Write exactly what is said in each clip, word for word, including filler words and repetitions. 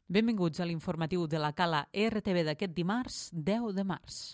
Benvinguts a l'informatiu de la Cala R T V d'aquest dimarts, deu de març.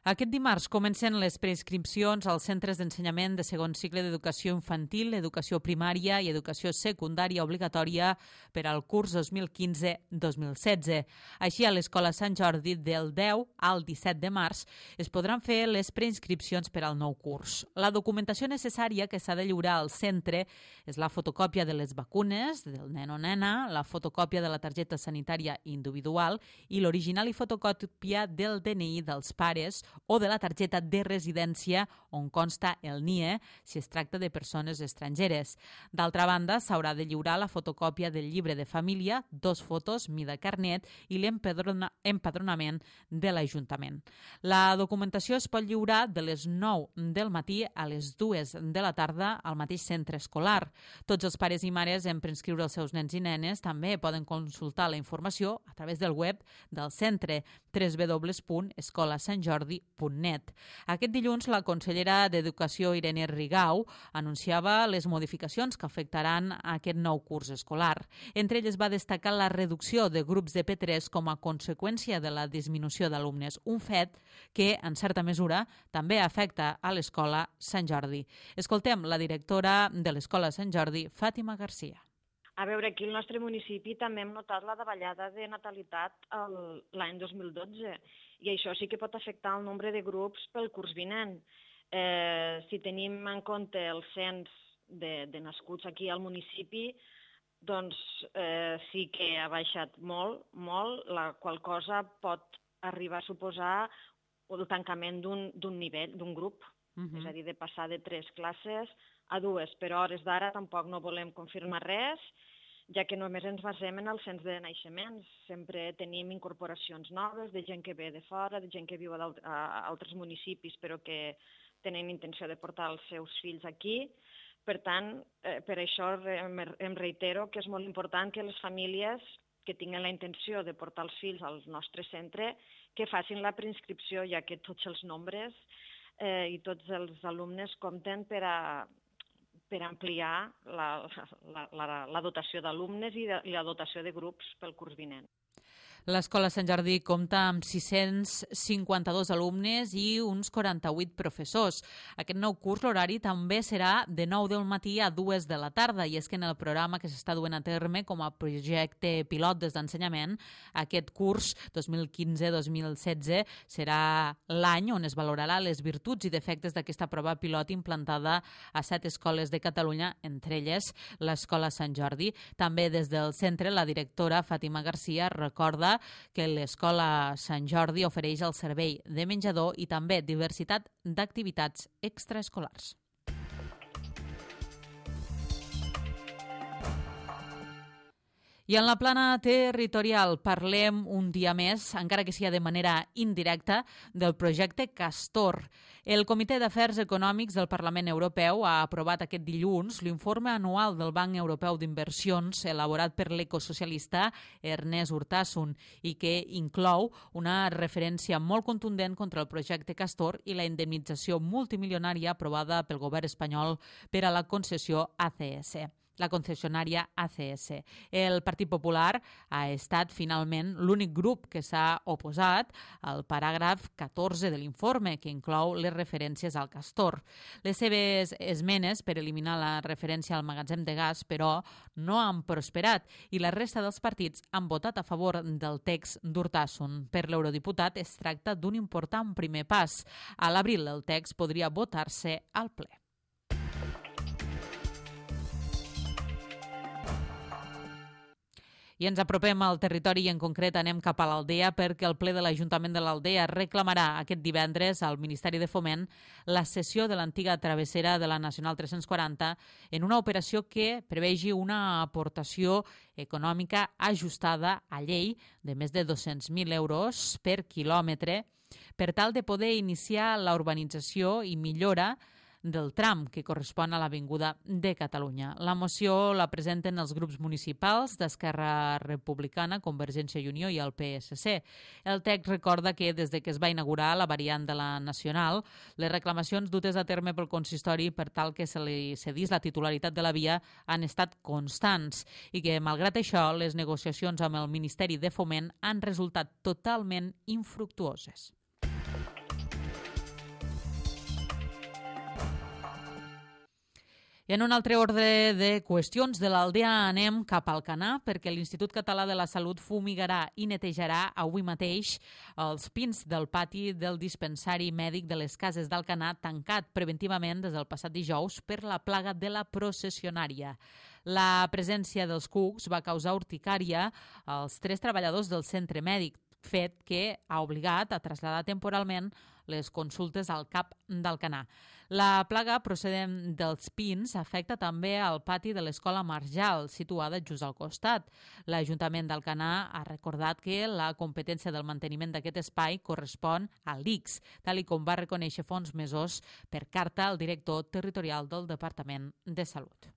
Aquest dimarts comencen les preinscripcions als centres d'ensenyament de segon cicle d'educació infantil, educació primària i educació secundària obligatòria per al curs dos mil quinze dos mil setze. Així, a l'Escola Sant Jordi, del deu al disset de març, es podran fer les preinscripcions per al nou curs. La documentació necessària que s'ha de lliurar al centre és la fotocòpia de les vacunes del nen o nena, la fotocòpia de la targeta sanitària individual i l'original i fotocòpia del D N I dels pares o de la targeta de residència on consta el N I E si es tracta de persones estrangeres. D'altra banda, s'haurà de lliurar la fotocòpia del llibre de família, dos fotos, mida carnet i l'empadronament de l'Ajuntament. La documentació es pot lliurar de les nou del matí a les dues de la tarda al mateix centre escolar. Tots els pares i mares en preinscriure els seus nens i nenes també poden consultar la informació a través del web del centre w w w punt escola sant jordi punt net. Aquest dilluns, la consellera d'Educació, Irene Rigau, anunciava les modificacions que afectaran aquest nou curs escolar. Entre elles va destacar la reducció de grups de P tres com a conseqüència de la disminució d'alumnes, un fet que, en certa mesura, també afecta a l'Escola Sant Jordi. Escoltem la directora de l'Escola Sant Jordi, Fàtima Garcia. A veure, aquí al nostre municipi també hem notat la davallada de natalitat l'any dos mil dotze i això sí que pot afectar el nombre de grups pel curs vinent. Eh, si tenim en compte el cens de, de nascuts aquí al municipi, doncs eh, sí que ha baixat molt, molt, la qual cosa pot arribar a suposar el tancament d'un nivell, d'un grup, uh-huh. És a dir, de passar de tres classes a dues, però a hores d'ara tampoc no volem confirmar res, ja que només ens basem en el cens de naixements. Sempre tenim incorporacions noves de gent que ve de fora, de gent que viu a altres municipis però que tenen intenció de portar els seus fills aquí. Per tant, eh, per això em reitero que és molt important que les famílies que tinguin la intenció de portar els fills al nostre centre que facin la preinscripció, ja que tots els nombres eh, i tots els alumnes compten per a per ampliar la, la, la, la dotació d'alumnes i, de, i la dotació de grups pel curs vinent. L'Escola Sant Jordi compta amb sis-cents cinquanta-dos alumnes i uns quaranta-vuit professors. Aquest nou curs l'horari també serà de nou del matí a dues de la tarda i és que en el programa que s'està duent a terme com a projecte pilot des d'ensenyament, aquest curs dos mil quinze dos mil setze serà l'any on es valorarà les virtuts i defectes d'aquesta prova pilot implantada a set escoles de Catalunya, entre elles l'Escola Sant Jordi. També des del centre la directora Fàtima Garcia recorda que l'Escola Sant Jordi ofereix el servei de menjador i també diversitat d'activitats extraescolars. I en la plana territorial parlem un dia més, encara que sigui de manera indirecta, del projecte Castor. El Comitè d'Afers Econòmics del Parlament Europeu ha aprovat aquest dilluns l'informe anual del Banc Europeu d'Inversions elaborat per l'ecosocialista Ernest Urtasun i que inclou una referència molt contundent contra el projecte Castor i la indemnització multimilionària aprovada pel govern espanyol per a la concessió A C S. La concessionària A C S. El Partit Popular ha estat finalment l'únic grup que s'ha oposat al paràgraf catorze de l'informe, que inclou les referències al Castor. Les seves esmenes per eliminar la referència al magatzem de gas, però, no han prosperat i la resta dels partits han votat a favor del text d'Urtasun. Per l'eurodiputat es tracta d'un important primer pas. A l'abril el text podria votar-se al ple. I ens apropem al territori i en concret anem cap a l'Aldea perquè el ple de l'Ajuntament de l'Aldea reclamarà aquest divendres al Ministeri de Foment la cessió de l'antiga travessera de la Nacional tres-cents quaranta en una operació que prevegi una aportació econòmica ajustada a llei de més de dos-cents mil euros per quilòmetre per tal de poder iniciar la urbanització i millora del tram que correspon a l'Avinguda de Catalunya. La moció la presenten els grups municipals d'Esquerra Republicana, Convergència i Unió i el P S C. El text recorda que des de que es va inaugurar la variant de la Nacional, les reclamacions dutes a terme pel consistori per tal que se li cedís la titularitat de la via han estat constants i que, malgrat això, les negociacions amb el Ministeri de Foment han resultat totalment infructuoses. I en un altre ordre de qüestions de l'Aldea anem cap al Canà perquè l'Institut Català de la Salut fumigarà i netejarà avui mateix els pins del pati del dispensari mèdic de les Cases d'Alcanar tancat preventivament des del passat dijous per la plaga de la processionària. La presència dels cucs va causar urticària als tres treballadors del centre mèdic, fet que ha obligat a traslladar temporalment les consultes al cap d'Alcanar. La plaga procedent dels pins afecta també al pati de l'Escola Marjal, situada just al costat. L'Ajuntament d'Alcanar ha recordat que la competència del manteniment d'aquest espai correspon a l'I C S, tal i com va reconèixer fa uns mesos per carta al director territorial del Departament de Salut.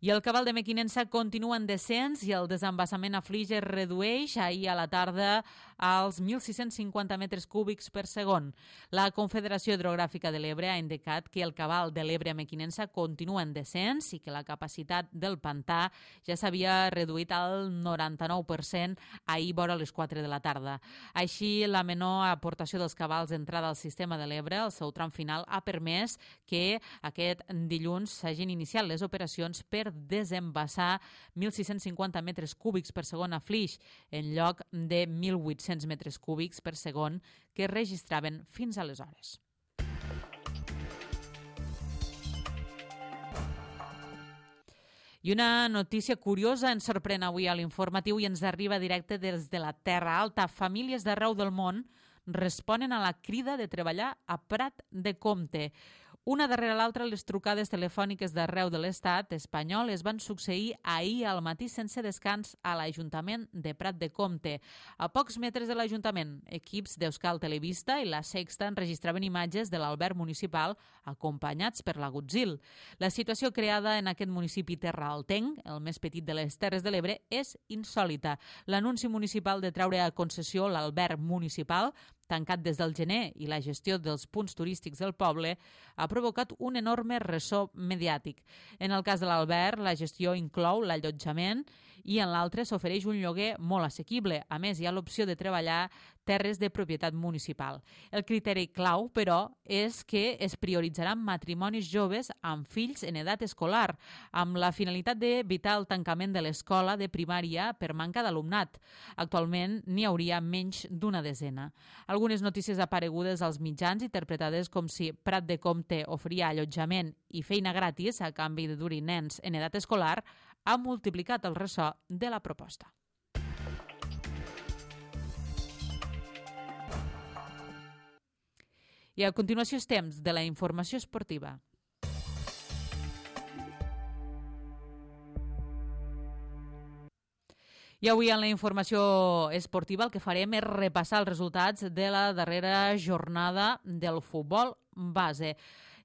I el cabal de Mequinensa continua en descens i el desembassament a Flix es redueix ahir a la tarda als mil sis-cents cinquanta metres cúbics per segon. La Confederació Hidrogràfica de l'Ebre ha indicat que el cabal de l'Ebre a Mequinensa continua en descens i que la capacitat del pantà ja s'havia reduït al noranta-nou per cent ahir vora les quatre de la tarda. Així, la menor aportació dels cabals d'entrada al sistema de l'Ebre, el seu tram final, ha permès que aquest dilluns s'hagin iniciat les operacions per desembassar mil sis-cents cinquanta metres cúbics per segon a Flix, en lloc de mil vuit-cents metres cúbics per segon que es registraven fins aleshores. I una notícia curiosa ens sorprèn avui a l'informatiu i ens arriba directe des de la Terra Alta. Famílies d'arreu del món responen a la crida de treballar a Prat de Comte. Una darrere l'altra, les trucades telefòniques d'arreu de l'estat espanyol es van succeir ahir al matí sense descans a l'Ajuntament de Prat de Comte. A pocs metres de l'Ajuntament, equips d'Euskal Televista i La Sexta enregistraven imatges de l'alberg municipal acompanyats per la Gutzil. La situació creada en aquest municipi terraaltenc, el més petit de les Terres de l'Ebre, és insòlita. L'anunci municipal de treure a concessió l'alberg municipal, tancat des del gener, i la gestió dels punts turístics del poble ha provocat un enorme ressò mediàtic. En el cas de l'alberg, la gestió inclou l'allotjament i en l'altre s'ofereix un lloguer molt assequible. A més, hi ha l'opció de treballar terres de propietat municipal. El criteri clau, però, és que es prioritzaran matrimonis joves amb fills en edat escolar, amb la finalitat d'evitar el tancament de l'escola de primària per manca d'alumnat. Actualment n'hi hauria menys d'una desena. Algunes notícies aparegudes als mitjans interpretades com si Prat de Comte oferia allotjament i feina gratis a canvi de dur-hi nens en edat escolar ha multiplicat el ressò de la proposta. I a continuació és temps de la informació esportiva. I avui en la informació esportiva el que farem és repassar els resultats de la darrera jornada del futbol base.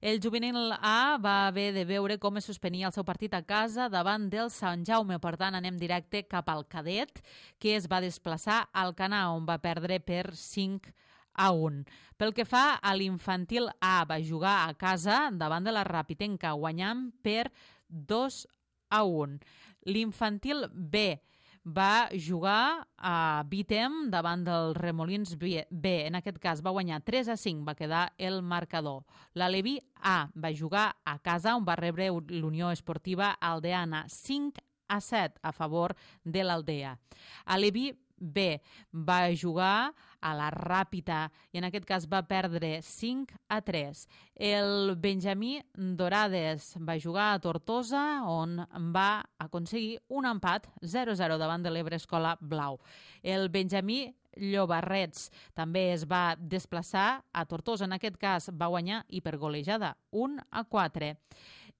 El juvenil A va haver de veure com es suspenia el seu partit a casa davant del Sant Jaume. Per tant, anem directe cap al cadet, que es va desplaçar al Canà, on va perdre per cinc a un. Pel que fa a l'infantil A, va jugar a casa davant de la Rapitenca, guanyant per dos a un. L'infantil B va jugar a Vitem davant del Remolins B. En aquest cas va guanyar tres a cinc, va quedar el marcador. L'Aleví A va jugar a casa on va rebre l'Unió Esportiva Aldeana cinc a set a favor de l'Aldea. Aleví B va jugar a la Ràpita i en aquest cas va perdre cinc a tres. El Benjamí Dorades va jugar a Tortosa on va aconseguir un empat zero a zero davant de l'Ebre Escola Blau. El Benjamí Llobarrets també es va desplaçar a Tortosa, en aquest cas va guanyar i per golejada un a quatre.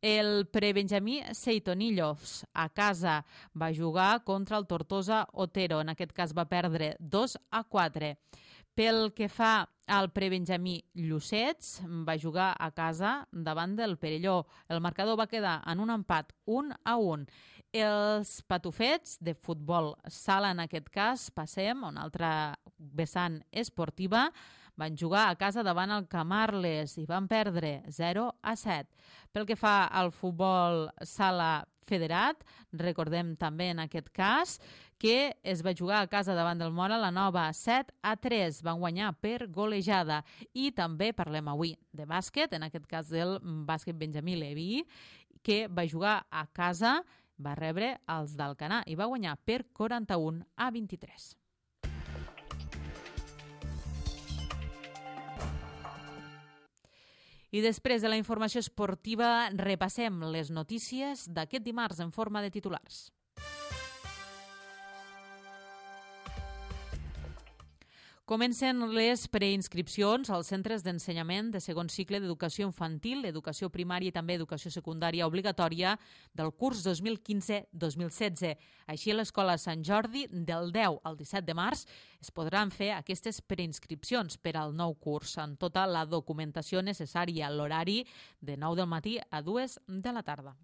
El prebenjamí Seitonillos a casa va jugar contra el Tortosa Otero. En aquest cas va perdre dos a quatre. Pel que fa al prebenjamí Llucets, va jugar a casa davant del Perelló. El marcador va quedar en un empat un a un. Els patufets de futbol sala, en aquest cas, passem a una altra vessant esportiva, van jugar a casa davant el Camarles i van perdre zero a set. Pel que fa al futbol sala federat, recordem també en aquest cas que es va jugar a casa davant del Móra la Nova set a tres, van guanyar per golejada. I també parlem avui de bàsquet, en aquest cas del bàsquet Benjamí Leví, que va jugar a casa, va rebre els d'Alcanar i va guanyar per quaranta-un a vint-i-tres. I després de la informació esportiva repassem les notícies d'aquest dimarts en forma de titulars. Comencen les preinscripcions als centres d'ensenyament de segon cicle d'educació infantil, educació primària i també educació secundària obligatòria del curs dos mil quinze dos mil setze. Així, a l'Escola Sant Jordi, del deu al disset de març, es podran fer aquestes preinscripcions per al nou curs, amb tota la documentació necessària a l'horari de nou del matí a dues de la tarda.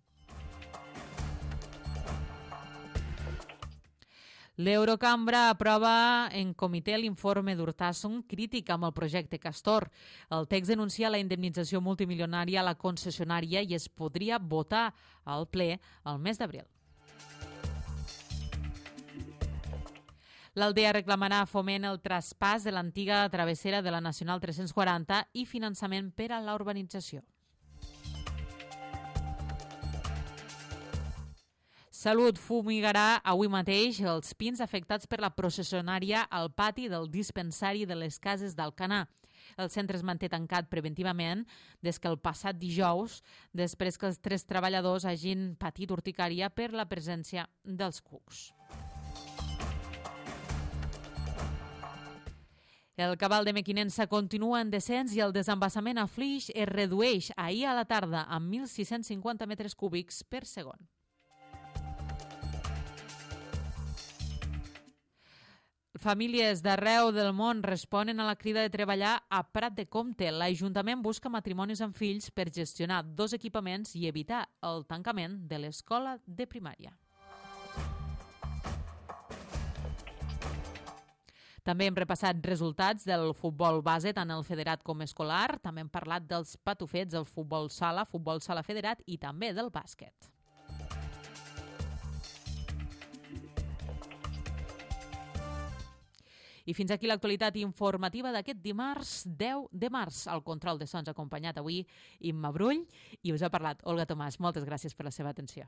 L'Eurocambra aprova en comitè l'informe d'Urtasun crític amb el projecte Castor. El text denuncia la indemnització multimilionària a la concessionària i es podria votar al ple el mes d'abril. L'Aldea reclamarà a Foment el traspàs de l'antiga travessera de la Nacional tres-cents quaranta i finançament per a la urbanització. Salut fumigarà avui mateix els pins afectats per la processionària al pati del dispensari de les Cases d'Alcanar. El centre es manté tancat preventivament des que el passat dijous, després que els tres treballadors hagin patit urticària per la presència dels cucs. El cabal de Mequinensa continua en descens i el desembassament a Flix es redueix ahir a la tarda amb mil sis-cents cinquanta metres cúbics per segon. Famílies d'arreu del món responen a la crida de treballar a Prat de Comte. L'Ajuntament busca matrimonis amb fills per gestionar dos equipaments i evitar el tancament de l'escola de primària. També hem repassat resultats del futbol base, tant el federat com escolar. També hem parlat dels patufets, el futbol sala, futbol sala federat i també del bàsquet. I fins aquí l'actualitat informativa d'aquest dimarts deu de març. Al control de sons acompanyat avui Imma Brull i us ha parlat Olga Tomàs. Moltes gràcies per la seva atenció.